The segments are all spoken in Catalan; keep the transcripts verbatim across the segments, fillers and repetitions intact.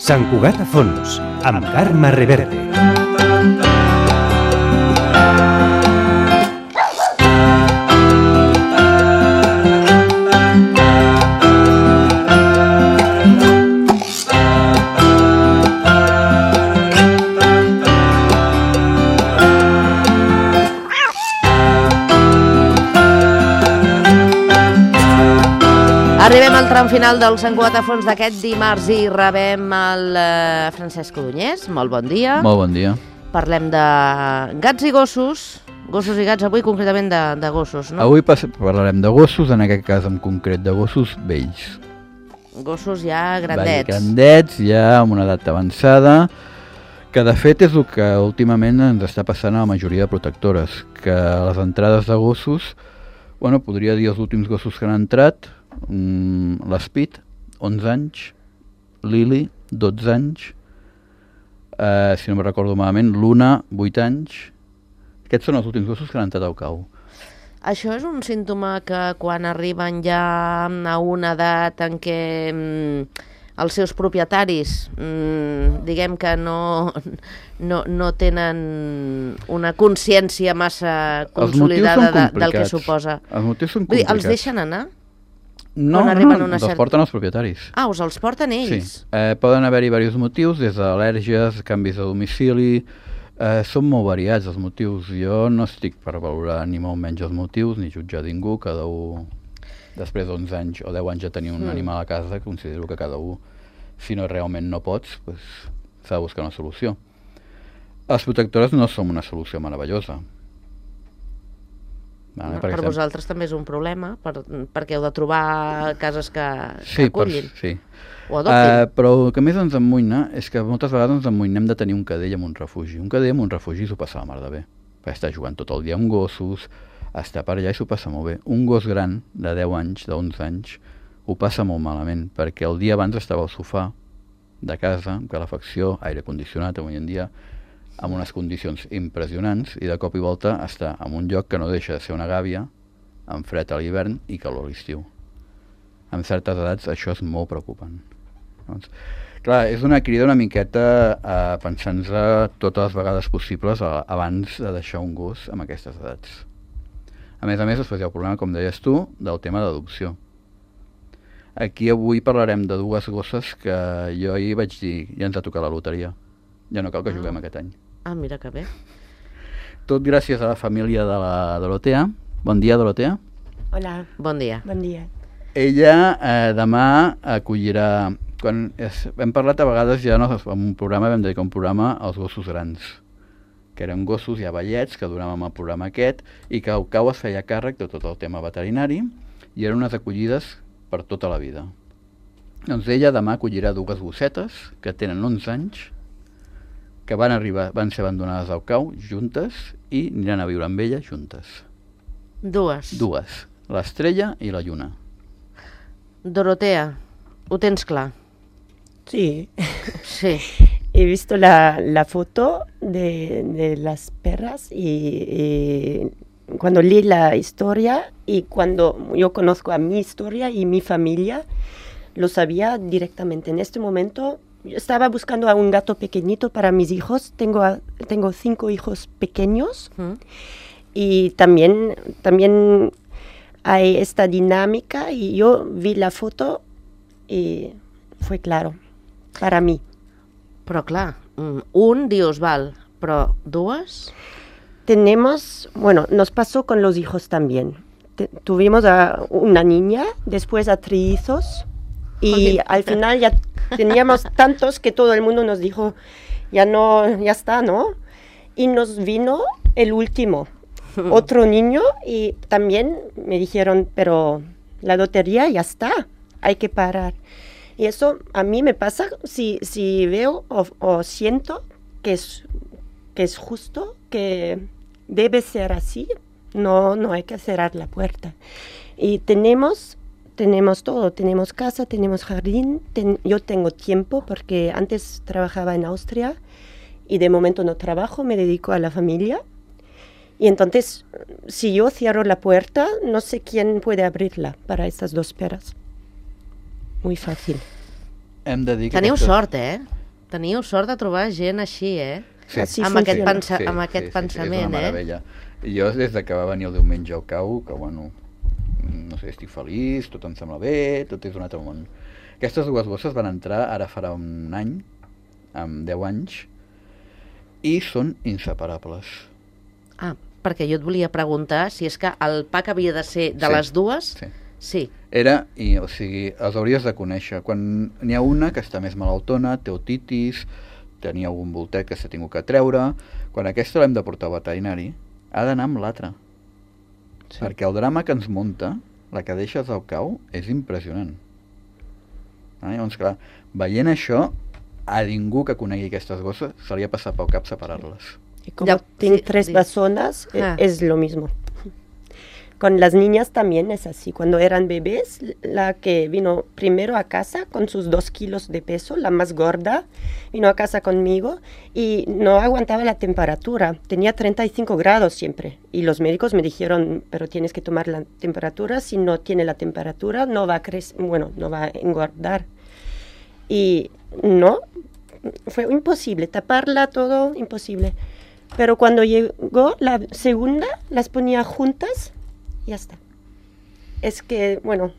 Sant Cugat a fons, amb Carme Reverte. Arribem al tram final del Sant Cugat a fons d'aquest dimarts i rebem el uh, Francesc Codonyès. Molt bon dia. Molt bon dia. Parlem de gats i gossos, gossos i gats, avui concretament de, de gossos, no? Avui parlarem de gossos, en aquest cas en concret de gossos vells. Gossos ja grandets. Vells, grandets, ja amb una edat avançada, que de fet és el que últimament ens està passant a la majoria de protectores, que les entrades de gossos, bueno, podria dir els últims gossos que han entrat, l'Speed, onze anys, Lily, dotze anys, eh, si no me recordo malament, Luna, vuit anys. Aquests són els últims gossos que han entrat al cau. Això és un símptoma que quan arriben ja a una edat en què mm, els seus propietaris, mm, diguem que no, no, no tenen una consciència massa consolidada de, del que suposa. Els motius són Vull dir, complicats. els deixen anar? No, no, no, els cert... porten els propietaris. Ah, us els porten ells? Sí, eh, poden haver-hi diversos motius, des d'al·lèrgies, canvis de domicili, eh, són molt variats els motius. Jo no estic per valorar ni molt menys els motius, ni jutjar ningú, cada un, després d'onze anys o deu anys de tenir un mm. animal a casa, considero que cada un, si no realment no pots, pues, s'ha de buscar una solució. Les protectores no són una solució meravellosa. Vale, no, per per vosaltres també és un problema, per, perquè heu de trobar cases que, sí, que acullin. Per, sí, o adoptin. Uh, però el que més ens emmoïna és que moltes vegades ens emmoïnem de tenir un cadell en un refugi. Un cadell en un refugi s'ho passa la mar de bé. Perquè està jugant tot el dia amb gossos, està per allà i s'ho passa molt bé. Un gos gran de deu anys, d'onze anys, ho passa molt malament, perquè el dia abans estava al sofà de casa, amb calefacció, aire condicionat, avui en dia, amb unes condicions impressionants, i de cop i volta està en un lloc que no deixa de ser una gàbia, amb fred a l'hivern i calor a l'estiu. Amb certes edats això és molt preocupant. Doncs, clar, és una crida una miqueta a pensar-nos totes les vegades possibles a, abans de deixar un gos amb aquestes edats. A més a més, després hi ha el problema, com deies tu, del tema d'adopció. Aquí avui parlarem de dues gosses que jo ahir vaig dir, ja ens ha tocat la loteria. Ja no cal que juguem ah. aquest any. Ah, mira que bé. Tot gràcies a la família de la Dorotea. Bon dia, Dorotea. Hola. Bon dia. Bon dia. Ella eh, demà acollirà... Quan es, hem parlat a vegades ja no, en un programa, vam dedicar un programa als gossos grans, que eren gossos ja vellets, que donàvem el programa aquest, i que el cau es feia càrrec de tot el tema veterinari, i eren unes acollides per tota la vida. Doncs ella demà acollirà dues gossetes, que tenen onze anys, que van arribar, van ser abandonades al cau juntes i aniran a viure amb ella juntes. Dues. Dues. L'Estrella i la Lluna. Dorotea, ho tens clar? Sí. Sí. He visto la, la foto de, de las perras y, y cuando leí la historia y cuando yo conozco a mi historia y mi familia, lo sabía directamente. En este momento yo estaba buscando a un gato pequeñito para mis hijos. Tengo, a, tengo cinco hijos pequeños ¿Mm? y también, también hay esta dinámica y yo vi la foto y fue claro para mí. Però clar, un dius, val, però dues? Tenemos, bueno, nos pasó con los hijos también. Te, tuvimos a una niña, después a trillizos y Oye. al final ya teníamos tantos que todo el mundo nos dijo, ya no, ya está, ¿no? Y nos vino el último, otro niño, y también me dijeron, pero la lotería ya está, hay que parar. Y eso a mí me pasa si, si veo o, o siento que es, que es justo, que debe ser así, no, no hay que cerrar la puerta. Y tenemos... Tenemos todo, tenemos casa, tenemos jardín, ten, yo tengo tiempo porque antes trabajaba en Austria y de momento no trabajo, me dedico a la familia. Y entonces, si yo cierro la puerta, no sé quién puede abrirla para estas dos perras. Muy fàcil. Hem de dir que Teniu aquestes... sort, eh? Teniu sort de trobar gent així, eh? Sí. Així amb aquest, funciona. pensa, amb aquest sí, pensament, sí, és una eh? meravella. I jo, des de que va venir el diumenge al cau, que bueno, no sé, estic feliç, tot em sembla bé, tot és un altre món. Aquestes dues bosses van entrar ara farà un any, amb deu anys, i són inseparables. Ah, perquè jo et volia preguntar si és que el pack havia de ser de Sí, les dues. sí. Sí. Era, i, o sigui, els hauries de conèixer. Quan n'hi ha una que està més malaltona, té otitis, tenia algun voltet que s'ha tingut que treure, quan aquesta l'hem de portar al veterinari, ha d'anar amb l'altra. Sí. Perquè el drama que ens munta, la que deixes al cau, és impressionant. Ah, llavors, clar, veient això, a ningú que conegui aquestes gosses se li ha passat pel cap separar-les. Y como Ya, tengo sí, tres sí. personas, eh, Ah. es lo mismo. Con las niñas también es así. Cuando eran bebés, la que vino primero a casa con sus dos kilos de peso, la más gorda, vino a casa conmigo y no aguantaba la temperatura. Tenía treinta y cinco grados siempre. Y los médicos me dijeron, pero tienes que tomar la temperatura. Si no tiene la temperatura, no va a crecer, bueno, no va a engordar. Y no, fue imposible. Taparla todo, imposible. Pero cuando llegó la segunda, las ponía juntas. Ya está. Es que, bueno,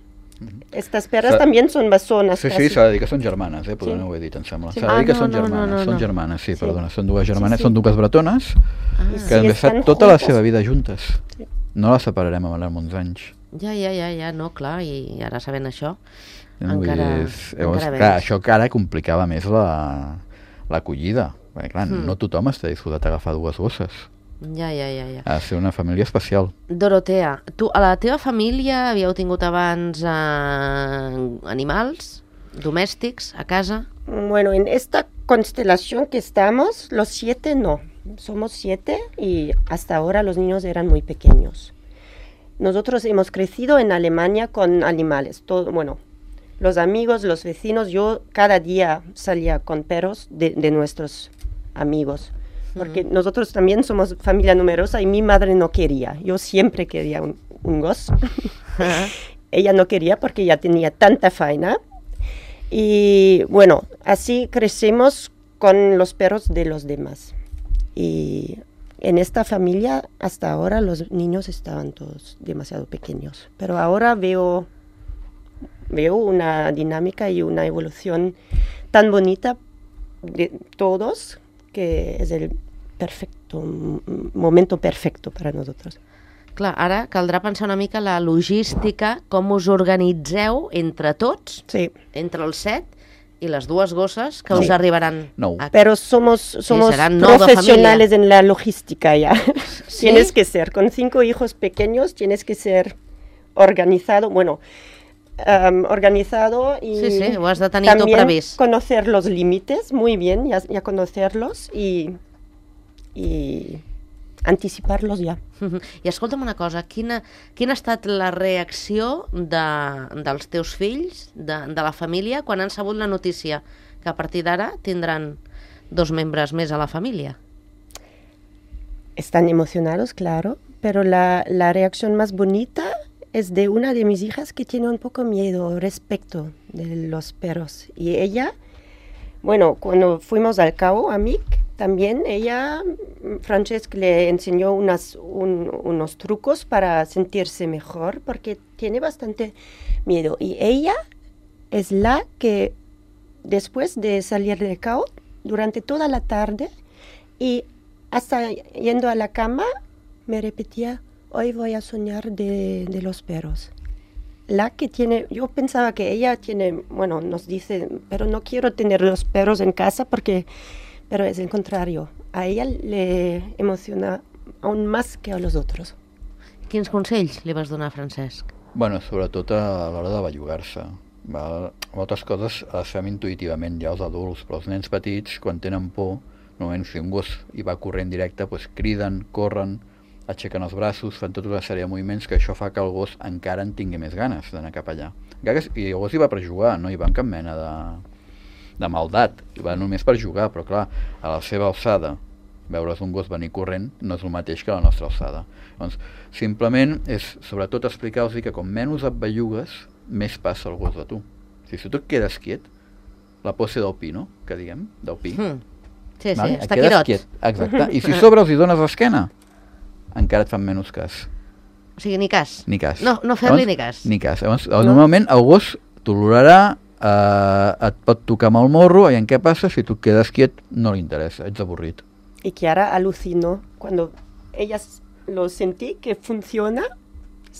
estas perras Sa- también son basonas. Sí, casi. sí, s'ha de dir que són germanes, eh? Perdona, Sí. ho he dit, em sembla. Sí. S'ha de dir Ah, que no, són no, no, germanes, no, són no. germanes, sí, Sí. perdona, són dues germanes, Sí, sí. són dues bretones Ah, I que sí, han estan estat tota la juntes. seva vida juntes. Sí. No les separarem a l'Arc uns anys. ja, ja, ja, ja, no, clar, i ara sabent això, No, vull encara, dir, és- llavors, encara clar, menys. això que ara complicava més la l'acollida. Perquè, clar, Mm. no tothom està disposat a agafar dues gosses. Ja, ja, ja, ja. Ha de ser una família especial. Dorotea, tu a la teva família havíeu tingut abans eh, animals domèstics a casa? Bueno, en esta constelación que estamos, los siete no. Somos siete y hasta ahora los niños eran muy pequeños. Nosotros hemos crecido en Alemania con animales. Todo, bueno, los amigos, los vecinos, yo cada día salía con perros de, de nuestros amigos. Porque nosotros también somos familia numerosa y mi madre no quería. Yo siempre quería un, un gozo. Ella no quería porque ya tenía tanta faena. Y bueno, así crecemos con los perros de los demás. Y en esta familia hasta ahora los niños estaban todos demasiado pequeños. Pero ahora veo, veo una dinámica y una evolución tan bonita de todos que es el perfecto, m- momento perfecto para nosotros. Clar, ara caldrà pensar una mica la logística, com us organitzeu entre tots, Sí. entre els set, i les dues gosses que Sí. us arribaran Nou. a... Pero somos, somos serán no de profesionales en la logística ya. ¿Sí? Tienes que ser, con cinco hijos pequeños, tienes que ser organizado, bueno, um, organizado y Sí, sí, ho has de tenir tot también previst. conocer los límites, muy bien, ya, ya conocerlos y, y anticiparlos ya. Mhm. I escolta'm una cosa, quina, quina ha estat la reacció de, dels teus fills, de, de la família, quan han sabut la notícia que a partir d'ara tindran dos membres més a la família? Están emocionados, claro, pero la, la reacción más bonita es de una de mis hijas que tiene un poco miedo respecto de los perros. Y ella, bueno, cuando fuimos al cabo, a Mick, también ella, Francesc le enseñó unas, un- unos trucos para sentirse mejor porque tiene bastante miedo. Y ella es la que después de salir del cabo, durante toda la tarde y hasta yendo a la cama, me repetía, hoy voy a soñar de, de los perros. La que tiene, yo pensaba que ella tiene, bueno, nos dice, pero no quiero tener los perros en casa porque, pero es el contrario. A ella le emociona aún más que a los otros. Quins consells li vas donar a Francesc? Bueno, sobretot a l'hora de bellugar-se. Val? Moltes coses les fem intuïtivament ja els adults, però els nens petits, quan tenen por, normalment si un gos hi va corrent directe, doncs criden, corren, aixequen els braços, fan tota una sèrie de moviments que això fa que el gos encara en tingui més ganes d'anar cap allà. Encara que, I el gos hi va per jugar, no hi va amb cap mena de, de maldat, hi va només per jugar, però clar, a la seva alçada, veure's un gos venir corrent no és el mateix que a la nostra alçada. Doncs simplement és sobretot explicar-los que com menys et bellugues, més passa el gos de tu. Si, si tu et quedes quiet, la pose del pi, no? Que diguem, del pi. Mm. Sí, sí, Vale? està Et quedes quirot. quiet. Exacte. I si a sobre els hi dones l'esquena, encara et fan menys cas. O sigui, ni cas. Ni cas. No, no fer-li Llavors, ni cas. Ni cas. Llavors, normalment el gos t'olorarà, eh, et pot tocar amb el morro, i en què passa? Si tu et quedes quiet, no li interessa, ets avorrit. Y Kiara alucinó cuando ellas lo sentí que funciona.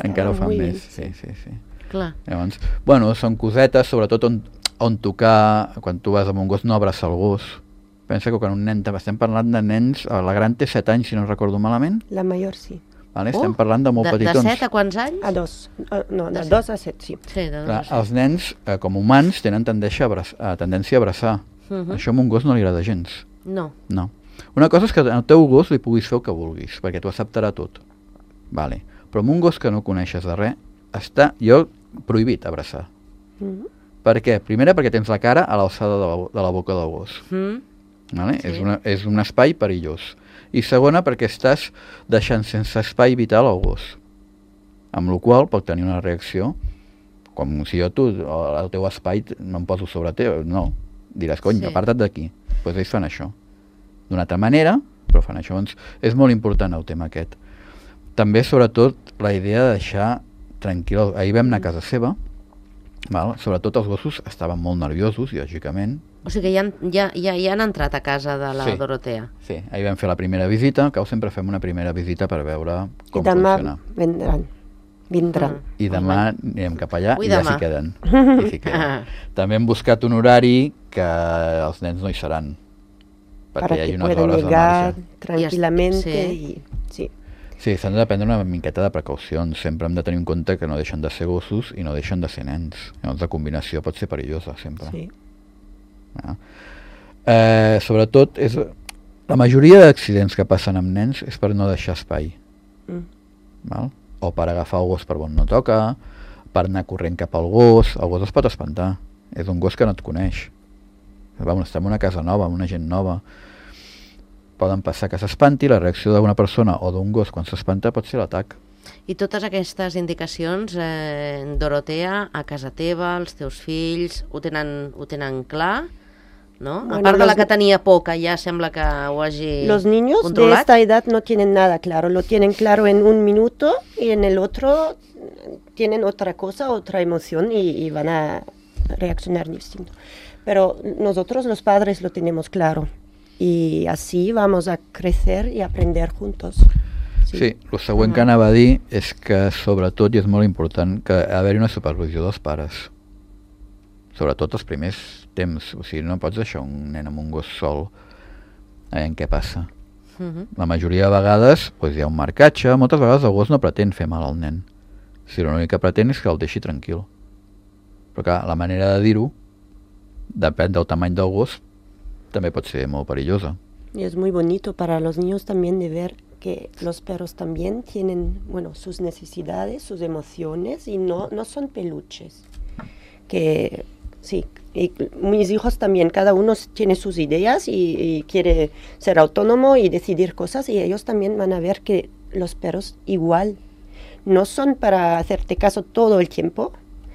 Encara ho fan muy més. bien. Sí, sí, sí. Clar. Llavors, bueno, són cosetes, sobretot on, on tocar, quan tu vas amb un gos, no abraçar el gos. Pensa que quan un nen, estem parlant de nens, la gran té set anys, si no recordo malament, La mayor sí. vale? Oh, Estem parlant de molt de, petitons. De set a quants anys? A dos. Uh, no, de De dos a set, sí. Sí, de dos Clar, a set. els nens, eh, com humans, tenen tendència a abraçar. A tendència a abraçar. Mhm. Això a un gos no li agrada gens. No. No. Una cosa és que al teu gos li puguis fer el que vulguis, perquè t'ho acceptarà tot. Vale. Però amb un gos que no coneixes de res, està, jo, prohibit abraçar. Mhm. Per què? Primera, perquè tens la cara a l'alçada de, la, de la boca del gos. Mm. Vale? Sí. És, una, és un espai perillós. I segona, perquè estàs deixant sense espai vital al gos. Amb la qual pot tenir una reacció, com si jo tu, el teu espai, no em poso sobre teu. No, diràs, cony, Sí. aparta't d'aquí. Doncs pues ells fan això. D'una altra manera, però fan això. Doncs és molt important el tema aquest. També, sobretot, la idea de deixar tranquil. Ahir vam anar a casa seva, val? Sobretot els gossos estaven molt nerviosos, lògicament. O sigui que ja, han- ja, ja, ja han entrat a casa de la Sí. Dorotea. Sí, ahir vam fer la primera visita, al cau sempre fem una primera visita per veure Y com demà funciona. vendrán. Vendrán. Mm. I demà anirem cap allà Ui, i ja demà. s'hi queden. I s'hi queden. També hem buscat un horari que els nens no hi seran, perquè Para hi hagi que unes puedan hores de llegar marge. tranquilamente. Sí. Y, sí. Sí, s'han de prendre una miqueta de precaucions. Sempre hem de tenir en compte que no deixen de ser gossos i no deixen de ser nens. Llavors la combinació pot ser perillosa, sempre. Sí. Ah. Eh, sobretot, és, la majoria d'accidents que passen amb nens és per no deixar espai. Mm. Val? O per agafar el gos per on no toca, per anar corrent cap al gos. El gos es pot espantar. És un gos que no et coneix. Vamos, estem en una casa nova, amb una gent nova. Poden passar que s'espanti, la reacció d'una persona o d'un gos quan s'espanta pot ser l'atac. I totes aquestes indicacions, eh, Dorotea, a casa teva, els teus fills, ho tenen, ho tenen clar, no? Bueno, a part de la los- que tenia por, que ja sembla que ho hagi Los niños de controlat. esta edad no tienen nada claro, lo tienen claro en un minuto y en el otro tienen otra cosa, otra emoción y, y van a reaccionar distinto. Pero nosotros los padres lo tenemos claro y así vamos a crecer y aprender juntos. Sí, el següent que anava a dir és que, sobretot, i és molt important, que haver-hi una supervisió dels pares. Sobretot els primers temps. O sigui, no pots deixar un nen amb un gos sol. Eh, en què passa? Mhm. La majoria de vegades doncs, hi ha un marcatge. Moltes vegades el gos no pretén fer mal al nen. Si l'únic que pretén és que el deixi tranquil. Però clar, la manera de dir-ho, depèn del tamany del gos, també pot ser molt perillosa. Y es muy bonito para los niños también de ver que los perros también tienen, bueno, sus necesidades, sus emociones y no, no son peluches. Que sí, y mis hijos también, cada uno tiene sus ideas y, y quiere ser autónomo y decidir cosas y ellos también van a ver que los perros igual no son para hacerte caso todo el tiempo,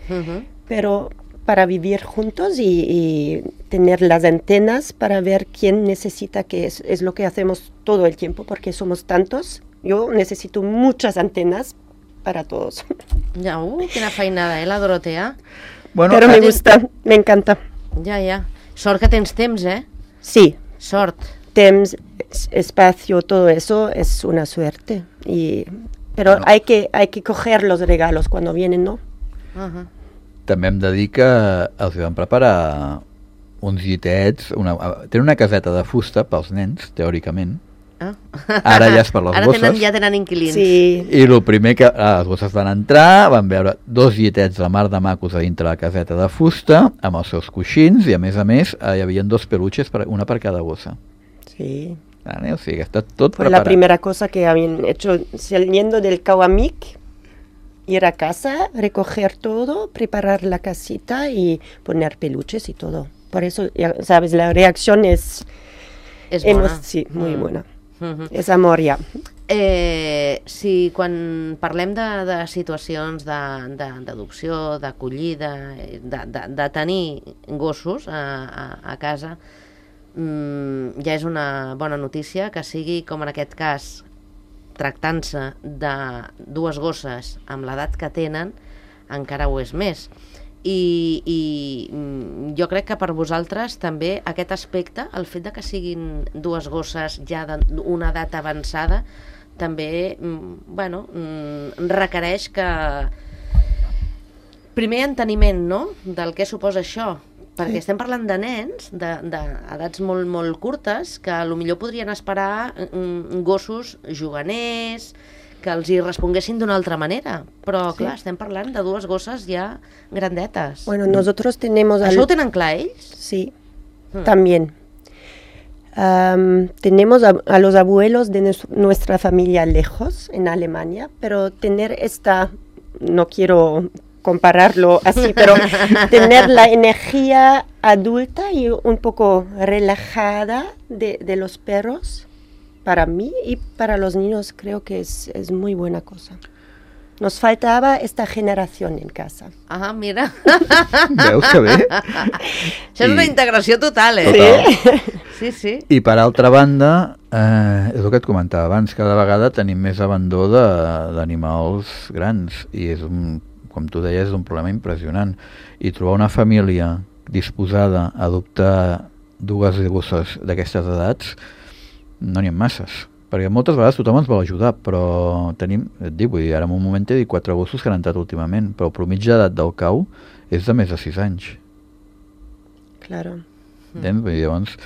Mhm. pero para vivir juntos y, y tener las antenas para ver quién necesita qué es, es lo que hacemos todo el tiempo porque somos tantos. Yo necesito muchas antenas para todos. Ja, uh, quina feinada, eh, la Dorotea? Bueno, Pero me eh, gusta, me encanta. Ja, ja. Sort que tens temps, eh? Sí, Sort. Temps, es- espacio, todo eso es una suerte. Y, pero Bueno. hay que hay que coger los regalos cuando vienen, ¿no? Uh-huh. també hem de dir que els van preparar uns llitets, una, tenen una caseta de fusta pels nens, teòricament. Ah. Ara ja és per les Ara bosses. tenen, ja tenen inquilins. Sí, I el primer que ah, les bosses van entrar, van veure dos llitets de mar de macos a dintre la caseta de fusta, amb els seus coixins, i a més a més eh, hi havia dos peluches, per, una per cada bossa. sí. Vale? O sigui, està tot Fue la preparat. primera cosa que habían hecho saliendo del Kawamik, ir a casa, recoger todo, preparar la casita y poner peluches y todo. Por eso, ya sabes, la reacción es, És hemos- bona. sí, muy Mm. buena. Mhm. Es amor ya. Eh, si quan parlem de, de situacions d'adopció, de, de, d'acollida, de, de, de tenir gossos a, a, a casa, mm, ja és una bona notícia que sigui, com en aquest cas, tractant-se de dues gosses amb l'edat que tenen, encara ho és més. I, i jo crec que per vosaltres també aquest aspecte, el fet de que siguin dues gosses ja d'una edat avançada, també, bueno, requereix que primer enteniment, no?, del què suposa això, perquè estem parlant de nens d'edats molt, molt curtes que potser podrien esperar gossos juganers, que els hi responguessin d'una altra manera, però sí. Clar, estem parlant de dues gosses ja grandetes. Bueno, nosotros tenemos... ¿Això al... ho tenen clar ells? Sí, hmm. también. Um, tenemos a, a los abuelos de nues- nuestra familia lejos, en Alemania, pero tener esta, no quiero compararlo así, pero tener la energía adulta y un poco relajada de, de los perros, para mí y para los niños creo que es, es muy buena cosa. Nos faltava esta generació en casa. Ah, mira. Veus que bé? Això és una integració total, eh? Total. Sí, sí. I per altra banda, eh, és el que et comentava abans, cada vegada tenim més abandó d'animals grans i és un, com tu deies, és un problema impressionant. I trobar una família disposada a adoptar dues gosses d'aquestes edats no n'hi ha masses. Perquè moltes vegades tothom ens vol ajudar, però tenim, et dic, vull dir, ara en un moment he dit quatre gossos que han entrat últimament, però el promigi d'edat del cau és de més de sis anys. Claro. Entens? Vull dir, llavors,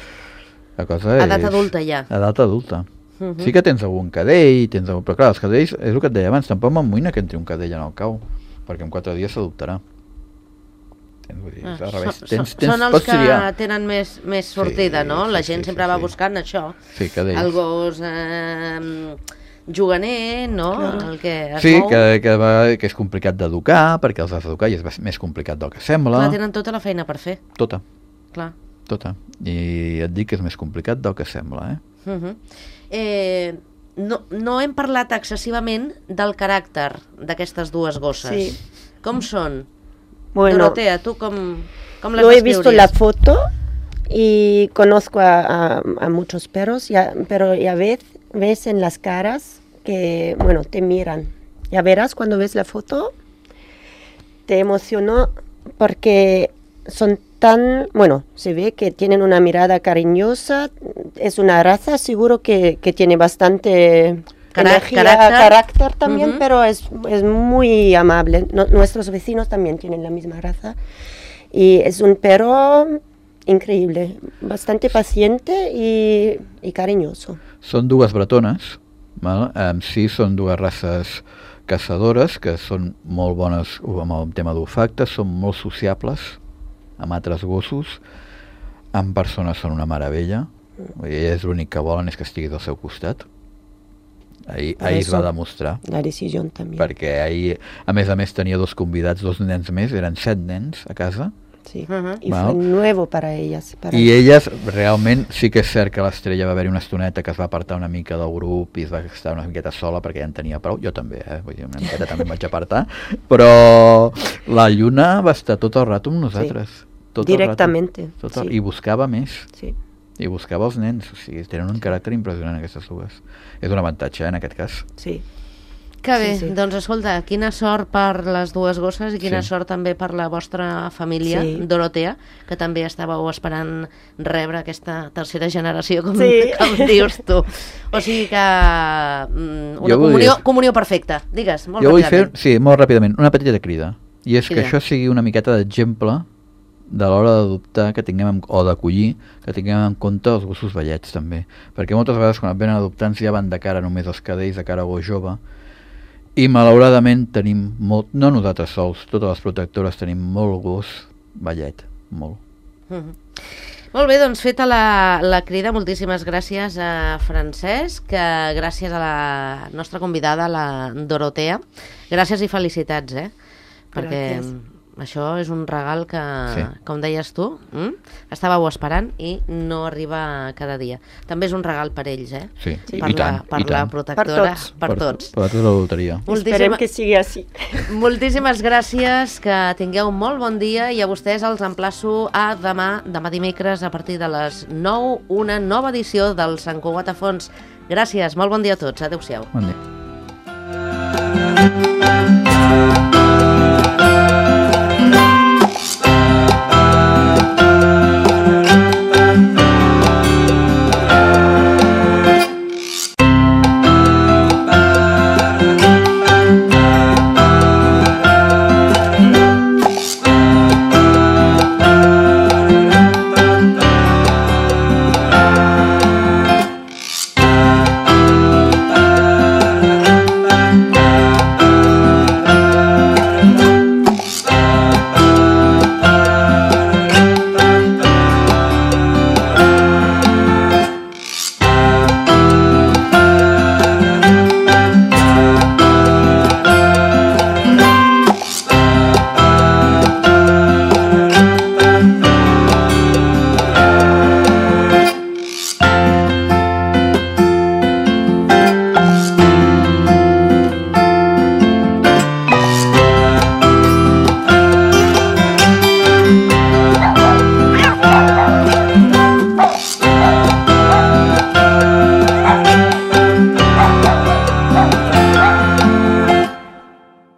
la cosa és... Edat adulta ja. Edat adulta. Uh -huh. Sí que tens algun cadell, tens algun... però clar, els cadells, és el que et deia abans, tampoc m'amoïna que entri un cadell en el cau, perquè en quatre dies s'adoptarà. Vull dir, ah, al revés. Són, Tens, són, tens, són els pots que triar. tenen més, més sortida, sí, no? La sí, gent sí, sempre sí, va sí. buscant això. Sí, cadells. El gos eh, juganer, no? Claro. El que es Sí, mou. que, que, va, que és complicat d'educar, perquè els has d'educar i és més complicat del que sembla. Clar, tenen tota la feina per fer. Tota, Clar. tota. I et dic que és més complicat del que sembla, eh? Uh -huh. eh no, no hem parlat excessivament del caràcter d'aquestes dues gosses. Sí. Com són? Bueno, Dorotea, tu com, com les yo he descriurías? visto la foto y conozco a, a, a muchos perros, ya, pero ya ves, ves en las caras que, bueno, te miran. Ya verás cuando ves la foto, te emocionó porque son tan, bueno, se ve que tienen una mirada cariñosa, es una raza seguro que, que tiene bastante... Cara- energía, carácter. carácter también, Uh-huh. pero es, es muy amable. No, nuestros vecinos también tienen la misma raza. Y es un perro increíble, bastante paciente y, y cariñoso. Són dues bretones, val? En si són dues races caçadores que són molt bones amb el tema d'olfacte, són molt sociables amb altres gossos, amb persones són una meravella, i és l'únic que volen és que estiguis al seu costat. Ahir, ahir es va demostrar, La decisión también. perquè ahir, a més a més, tenia dos convidats, dos nens més, eren set nens a casa, Sí. Uh-huh. Y Wow. fue nuevo para ellas. Para i elles realment sí que és cert que l'Estrella va haver-hi una estoneta que es va apartar una mica del grup i es va estar una miqueta sola perquè ja en tenia prou, jo també, eh? Vull dir, una miqueta també em vaig apartar, però la Lluna va estar tot el rato amb nosaltres. Sí. Tot Directamente, El rato, tot el... sí. I buscava més, Sí. i buscava els nens, o sigui, tenen un caràcter impressionant aquestes dues. És un avantatge, eh, en aquest cas. Sí. Que bé, Sí, sí. doncs escolta, quina sort per les dues gosses i quina Sí. sort també per la vostra família, Sí. Dorotea, que també estàveu esperant rebre aquesta tercera generació, com, Sí. com dius tu. O sigui que mm, una Jo vull comunió, dir- comunió perfecta. Digues, molt Jo vull fer, ràpidament. sí, molt ràpidament, una petita crida. I és Crida. que això sigui una miqueta d'exemple de l'hora d'adoptar que tinguem en, o d'acollir, que tinguem en compte els gossos vellets també. Perquè moltes vegades quan et venen adoptants ja van de cara només els cadells, de cara a gos jove, i malauradament tenim molt, no nosaltres sols, totes les protectores tenim molt gos vellet, molt. Mhm. Molt bé, doncs feta la, la crida, moltíssimes gràcies a Francesc, que gràcies a la nostra convidada, la Dorotea. Gràcies i felicitats, eh? Perquè Gràcies. això és un regal que, Sí. com deies tu, mm? estàveu esperant i no arriba cada dia. També és un regal per ells, eh? Sí, Sí. Per i la, tant, per i la tant. protectora, Per tots. per tots. Per, per tota la loteria. Esperem que sigui així. Moltíssimes gràcies, que tingueu un molt bon dia i a vostès els emplaço a demà, demà dimecres, a partir de les nou, una nova edició del Sant Cugat a Fons. Gràcies, molt bon dia a tots. Adéu-siau. Bon dia.